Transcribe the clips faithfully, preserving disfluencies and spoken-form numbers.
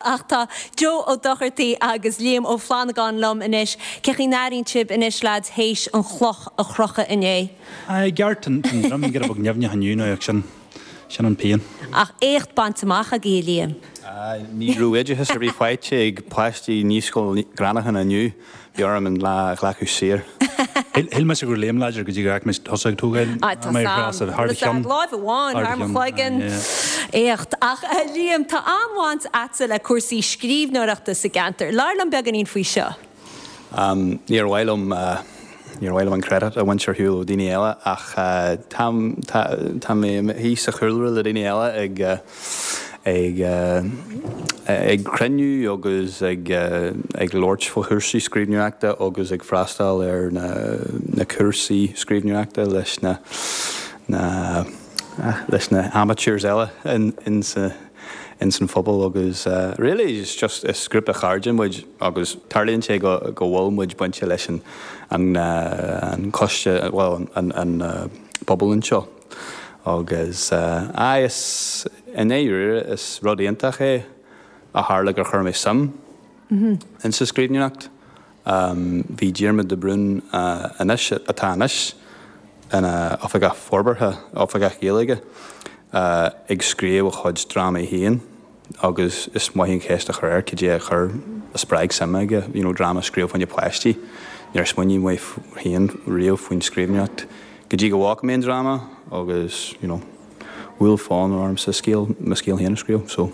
Ach tá Joe Ó Dochartaigh agus Liam Ó Flannagáin liom anois. Cén chaoi a n-airíonn sibh anois lads théis an chloch a chrochadh inné. I gceart an drom go bog neamhne hanú ach sin sin an pian. Ach éacht bainte amach agaibh Liam. Ní raibh oideachas ar bith faighte ag páistí Naíscoil Ghránachan inniu bhí orm an lá a ghlacadh saor. Shíl mise gur Liam láidir go dtí go mé thosaigh tógáil thar láimh amháin thar mo chloigeann. Éacht ach Liam tá an-bhaint agatsa le cúrsaí scríbhneoireachta sa gceantar. Labhair liom beagáinín faoi seo. Níor mhaith liom níor mhaith liom an credit a bhaint ar shiúl ó daoine eile ach tá tá mé thíos sa chúlra le daoine eile ag ag ag cruinniú agus ag ag labhairt fá chúrsaí scríbhneoireachta agus ag freastal ar na na cúrsaí scríbhneoireachta leis na na leis na amateurs eile in in sa in san phobal agus uh, really it's just is grúpa cairde muid agus tarlaíonn sé go go bhfuil muid bainte leis an an uh, an coiste well an an uh, pobal anseo agus uh, is in éir is rud iontach é a tharla gur chuir mé suim in sa scríbhneoireacht. Um, bhí Diarmuid de Brún uh, anois atá anois ina oifigeach forbartha oifigeach Gaeilge uh, ag scríobh a chuid drámaí féin agus is maith an cheist a chur air cad é a chur a spreag suim aige you know, dráma scríobh faoi na páistí Níor smaoinigh mé féin riamh faoin scríbhneoireacht go dtí go bhfaca mé an dráma agus you know, bhfuil fonn orm sa scéal mo scéal féin a scríobh so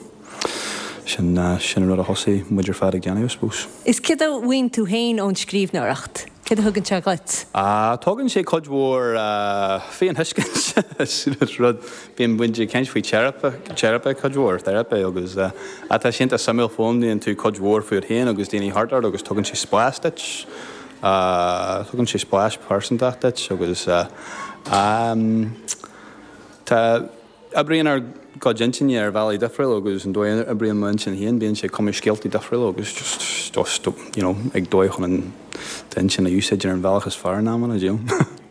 sin uh, sin an rud a thosaigh muid ar fad ag déanamh suppose. Is cad a bhain tú féin ón scríbhneoireacht? Cad a thugann sé dhuit? Uh, Tugann sé cuid mhór uh, féinthuiscint rud bíonn muid ag caint faoi teiripe teiripe cuid mhór teiripe agus uh, atá sinta suimiúil foghlaimíonn tú cuid mhór fút féin agus daoine thart ort agus tugann sé spás duit uh, tugann sé spás pearsanta duit agus uh, um, tá oibríonn ár gcuid intinne ar bhealaí difriúla agus an dóigh a oibríonn m'intinn féin bíonn sé cumadh scéaltaí difriúla agus just just you know, ag dóigh chun an intinn a úsáid ar an bhealach is fearr in amanna dú.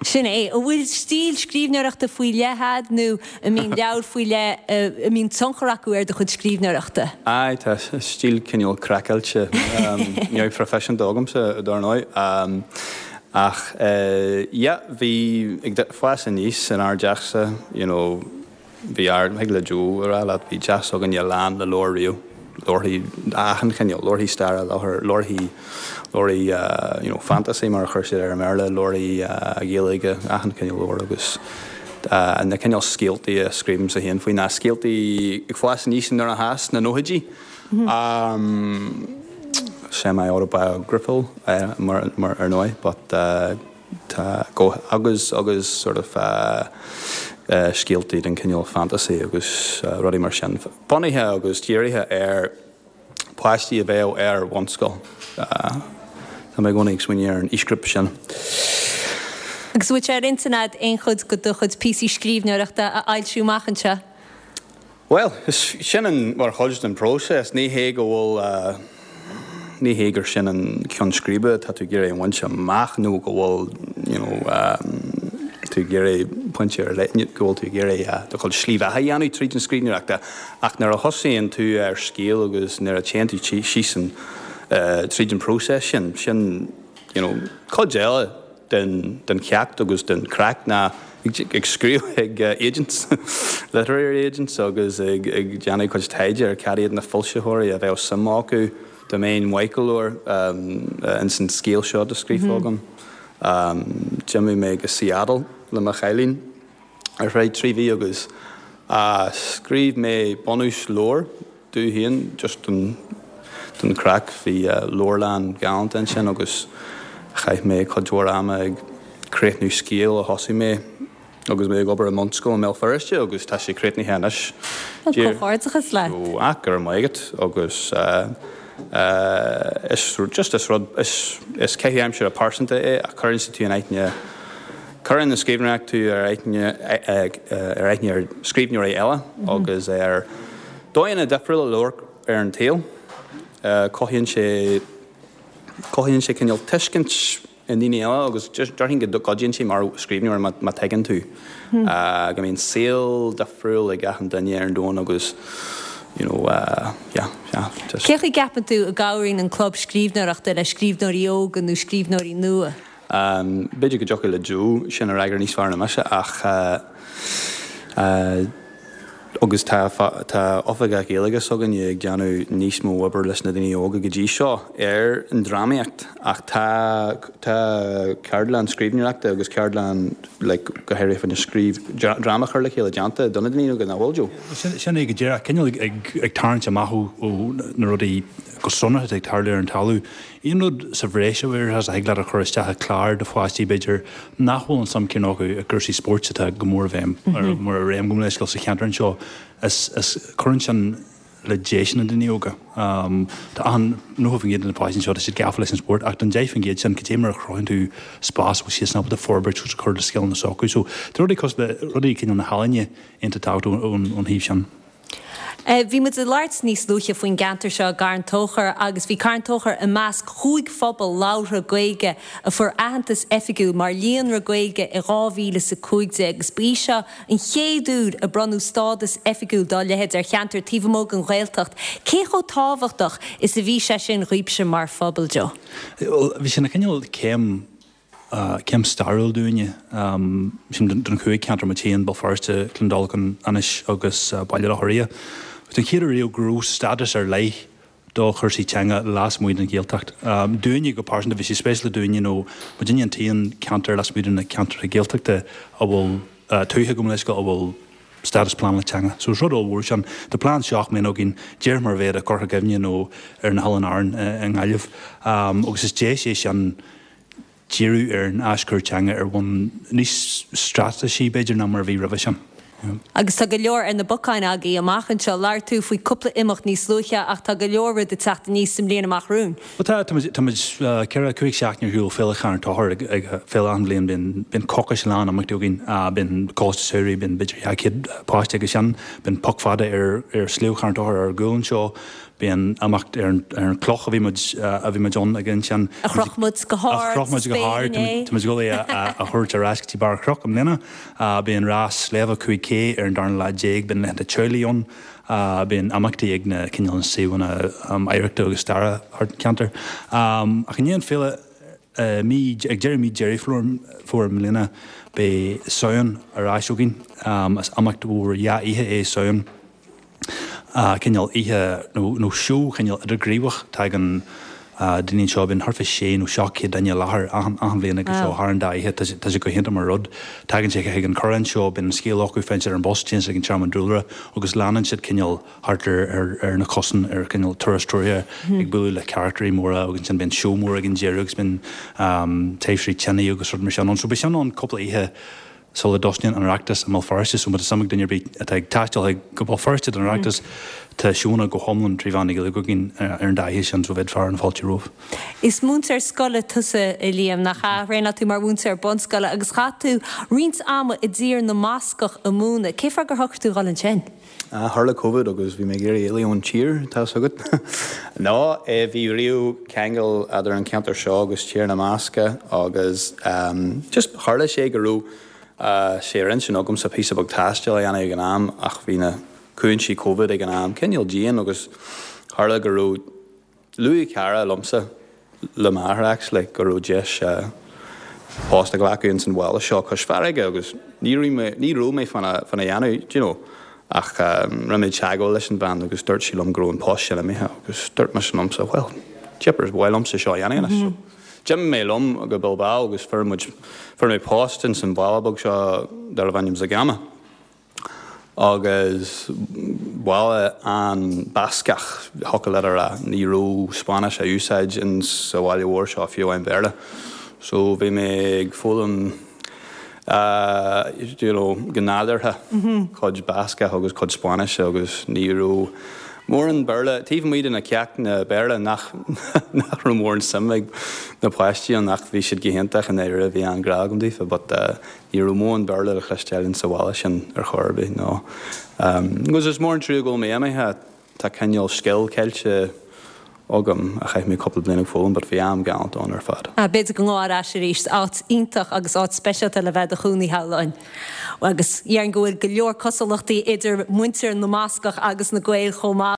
Sin é, an bhfuil stíl scríbhneoireachta faoi leith agat nó an mbíonn leabhar faoi leith a mbíonn tionchar acu ar do chuid scríbhneoireachta. Ai tá stíl cineál craiceáilte neamhphroifisiúnta agamsa dar ndóigh. Um, ach uh, yeah, bhí ag fás aníos in ár dteachsa, you know, bhí ar ag le Joe ará leat bhí teach againne lán le leabhair riamh leabharthaí achan chineál leabharthaí staire leabharthaí leabharthaí uh, you know, fantasy mar a chuir siad ar an mBéarla leabharthaí uh, Gaeilge achan chineál leabhar agus uh, na cineál scéaltaí a scríobhaimse féin faoi na scéaltaí ag fás aníos in nuair a has na nóchaidí. Um, semi-autobiographical uh, mar, mar ar ndóigh, but uh, tá go agus agus sort of uh, uh, scéaltaí den cineál fantasy agus uh, rudaí mar sin. Bunaithe agus dírithe ar páistí a bheadh ar bhunscoil. Uh, Tá mé gcónaí ag smaoineamh ar an aoisghrúpa sin. Agus bhfuil sé ar intinn agat aon chuid de do chuid píosaí scríbhneoireachta a fhoilsiú amach anseo? Well, is sin an mar chuid den próiseas ní hé go bhfuil uh, ní hé gur sin an ceann scríbe tá tú ag iarraidh a bhaint amach nó go bhfuil you know, um, tú ag iarraidh pointe ar leith go bhfuil tú ag iarraidh uh, do chuid slí bheatha a dhéanamh tríd an scríbhneoireacht ach nuair a thosaíonn tú ar scéal agus nuair a téann tú síos an uh, tríd an próiseas sin sin you know, cuid eile den, den cheacht agus den craic ná ag, ag scríobh ag uh, agents literary agents agus ag, ag déanamh cuid taighde ar cad iad na foilsitheoirí a bheadh suim acu dá mbeinn maith go leor um, uh, in san scéal seo a scríofa agam. Um, D'imigh mé go Seattle le mo chailín ar feadh trí mhí agus uh, scríobh mé bunús leabhar dom féin just den, den craic bhí uh, leabharlann galánta ansin agus chaith mé cuid mhór ama ag críochnú scéal a thosaigh mé agus mé ag obair i mbunscoil i mBéal Feirste agus tá sé críochnaithe anois. Comhghairdeachas leat. Ó ach go raibh maith agat agus uh, uh, is just is rud is, is caitheamh aimsire pearsanta é a chuireann sé tú in aithne Cuireann na scríbhneoireacht tú ar aithne ar aithne ar scríbhneoirí eile agus ar dóigheanna difriúla labhairt ar an tsaol. Uh, cothaíonn sé cothaíonn sé cineál tuiscint i ndaoine eile agus déarfainn go gcuidíonn sé mar scríbhneoir má má tuigeann tú. Uh, go mbíonn saol difriúil ag achan duine ar an domhan agus you know, uh, yeah, yeah, just. Cé chaoi a gceapann tú a gcabhraíonn an club scríbhneoireachta le scríbhneoirí óga nó scríbhneoirí nua? Um, b'fhéidir go dtiocfadh le Joe sin a fhreagairt níos fearr ná mise ach uh, uh, agus tá tá oifigeach Gaeilge s'againne ag déanamh níos mó obair leis na daoine óga go dtí seo ar an drámaíocht ach tá tá ceardlann scríbhneoireachta agus ceardlann like, go háirithe faoina scríobh dráma a chur le chéile déanta do na daoine óga nach bhfuil Joe. Sin sin é go díreach cineál ag ag ag tarraingt amach ó ó na rudaí go sonrath ag tarlú ar an talamh. Aon rud sa bhreis a bhfuil a thig leat a chur isteach i clár do pháistí b'fhéidir nach bhfuil an suim céanna acu i gcúrsaí spóirt atá go mór i bhfeidhm ar mór i réim go leisciúil sa cheantar anseo is is cuireann sin le deis na daoine óga. Tá an nócha faoin gcéad de na páistí anseo tá siad gafa leis an spórt ach don deich faoin gcéad sin cad é mar a chruthaíonn tú spás a bhfuil siad ábalta forbairt agus cur le scileanna s'acu. So tá rudaí cosúil le rudaí cineál na healaíne iontach tábhachtach ón ón thaobh sin. Bhí muid ag labhairt níos luaithe faoin gceantar seo i gCarn Tóchair agus bhí Carn Tóchair i measc chúig phobal labhartha Gaeilge a fuair aitheantas oifigiúil mar líonra Gaeilge i dhá mhíle is a cúig déag agus ba í seo an chéad uair a bronnadh stádas oifigiúil dá leithéid ar cheantar taobh amuigh den Ghaeltacht. Cé chomh tábhachtach is a bhí sé sin dhaoibhse mar phobal, Joe? Bhuel, bhí sé ina chineál céim céim stairiúil dúinne, sin don chúig cheantar muid féin, Béal Feirste, Cluain Dolcáin, Inis agus Baile Locha Riach. Agus don chéad uair riamh go raibh stádas ar leith do chúrsaí teanga lasmuigh den Ghaeltacht. Dúinne go pearsanta, bhí sé spéisiúil dúinne nó muidinne an t-aon cheantar lasmuigh de na ceantracha Gaeltachta a bhfuil tuaithe gabh mo leithscéal a bhfuil stádas pleanála teanga. So is rud ollmhór sin. Tá plean seacht mbliana againn, díreach mar a bheadh i gCorca Dhuibhne nó ar na hOileáin Árann i nGaillimh. Agus is deis é sin díriú ar an aischur teanga ar bhonn níos straitéisí, b'fhéidir, ná mar a bhí roimhe sin. Agus tá go leor ar na bacáin agaibh amach anseo. Labhair tú faoi cúpla imeacht níos luaithe ach tá go leor rud ag teacht aníos sa mbliain amach romhainn. Bhuel tá, tá muid, tá muid ceithre, cúig seachtaine ar shiúl Féile Charn Tóchair ag, ag féile achan bhliain, bíonn, bíonn coicís lán imeachtaí againn, bíonn Coláiste Samhraidh, bíonn b'fhéidir dhá chéad páiste aige sin, bíonn Puc Fada ar, ar Sliabh Charn Tóchair ar ár gcúl anseo, Bíonn imeacht ar an chloch a bhí muid a bhí muid ann ag ansin. A chroch muid go hard A chroch muid go hard. Tá muid ag dul é a thabhairt ar ais go dtí barr an chnoic i mbliana. Bíonn rás sléibhe cúig K ar an darna lá déag. Bíonn laethanta teaghlaigh ann. Bíonn imeachtaí ag na cineál na suíomhanna oidhreachta agus staire thart an ceantar. Ach i ndiaidh an féile mí ag deireadh mí Deireadh Fómhair i mbliana beidh Samhain ar ais againn. Is imeacht mhór dhá oíche é Samhain. cineál oíche nó seó cineál idirghníomhach. Tagann daoine anseo, bíonn thart fá sé nó seacht céad duine i láthair achan achan bhliain ag an seó thar an dá oíche. Tá sé tá sé go hiontach mar rud. Tagann siad chuig an Chorrán seo, bíonn an scéal acu, faigheann siad ar an bus, téann siad chuig an Tearmann Dúlra agus leanann siad cineál thart ar ar ar na cosáin ar cineál turas treoraithe ag bualadh le carachtarí móra agus ansin bíonn seó mór ag an deireadh agus bíonn taibhsí tine agus rud mar sin ann. So beidh sin ann cúpla oíche sula dtosnaíonn an Oireachtas i mBéal Feirste, so má tá suim ag duine ar bith atá ag taisteal chuig go Béal Feirste don Oireachtas, tá seónna go hiomlán trí mheán na Gaeilge againn ar an dá oíche sin, so bheadh fear na fáilte romhaibh. Is múinteoir scoile tusa, a Liam, nach ea? Thraenáil tú mar mhúinteoir bunscoile agus chaith tú roinnt ama i dTír na mBascach ag múineadh. Cé fáth gur shocraigh tú dhul ansin? Tharla Covid agus bhí mé ag iarraidh éalú ón tír, tá 's agat. No, bhí riamh ceangal idir an ceantar seo agus Tír na mBascach agus just tharla sé go raibh sé ar intinn agamsa píosa beag taistil a dhéanamh ag an am ach bhí na cúinsí Covid ag an am cineál dian agus tharla go raibh, luaigh cara liomsa, le m'athair actually, go raibh deis post a ghlacadh ins an bhaile seo cois farraige agus ní raibh mé, ní raibh mé fána, fána dhéanamh, do you know, ach rinne mé teagmháil leis an bhean agus dúirt sí liom go raibh an post sin imithe agus dúirt mise liomsa, well, jeepers, ba mhaith liomsa seo a dhéanamh anois. So d'imigh mé liom go Bilbao agus fuair muid, fuair mé post ins an bhaile beag seo darbh ainm Zegama. Agus baile an-Bhascach, thiocfadh leat a rá. Ní raibh Spáinnis á úsáid in sa bhaile mhór seo, fiú amháin Béarla. So bhí mé ag foghlaim you know go nádúrtha cuid Bascach agus cuid Spáinnise agus ní raibh mórán Béarla, taobh amuigh de na ceachtanna Béarla nach nach raibh mórán suim ag na páistí ann ach bhí siad go hiontach i ndáiríre, bhí an-ghrá agam daofa but ní raibh mórán Béarla le cloisteáil in sa bhaile sin ar chor ar bith, no. Agus is mór an trua go bhfuil mé imithe, tá cineál scil caillte agam a chaith mé cúpla bliain ag foghlaim, but bhí am galánta ann ar fad. Ah, b'fhéidir go ngabhfá ar ais arís, áit iontach agus áit speisialta le bheith i do chónaí shamhlóinn. Agus déarfainn go bhfuil go leor cosúlachtaí idir muintir na mBascach agus na Gaeil chomh maith.